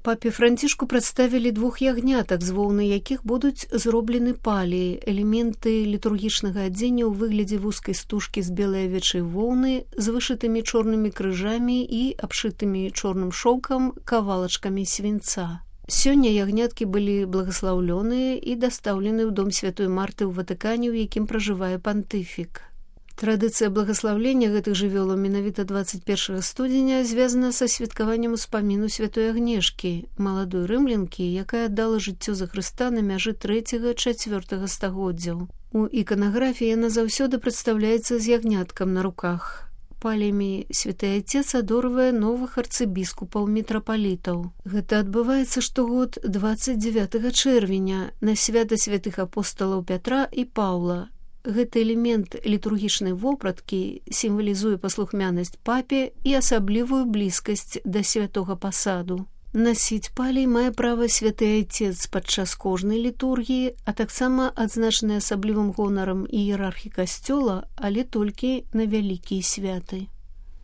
Папе Францішку прадставілі 2 ягнятак, з воўны якіх будуць зроблены паліі, элементы літургічнага адзення ў выглядзе вузкай стужкі з белай авечай воўны з вышытымі чорнымі крыжамі і абшытымі чорным шоўкам кавалачкамі свінца. Сёння ягняткі былі благаслаўлёныя і дастаўлены ў дом святой Марты ў Ватыкане, у якім пражывае пантыфік. Традыцыя благаслаўлення гэтых жывёлаў менавіта 21 студзеня звязана са святкаваннем успаміну святой Агнешкі, маладой рымлянкі, якая аддала жыццё за Хрыста на мяжы 3-4 стагоддзяў. У іканаграфіі яна заўсёды прадстаўляецца з ягняткам на руках. Палямі святы Айцец адорвае новых арцыбіскупаў мітрапалітаў. Гэта адбываецца штогод 29 чэрвеня на свята святых апосталаў Пятра і Паўла. Гэты элемент літургічнай вопраткі сімвалізуе паслухмянасць папе і асаблівую блізкасць да святога пасаду. Насіць палій мае права святы Айцец падчас кожнай літургіі, а таксама адзначаны асаблівым гонарам іерархі касцёла, але толькі на вялікія святы.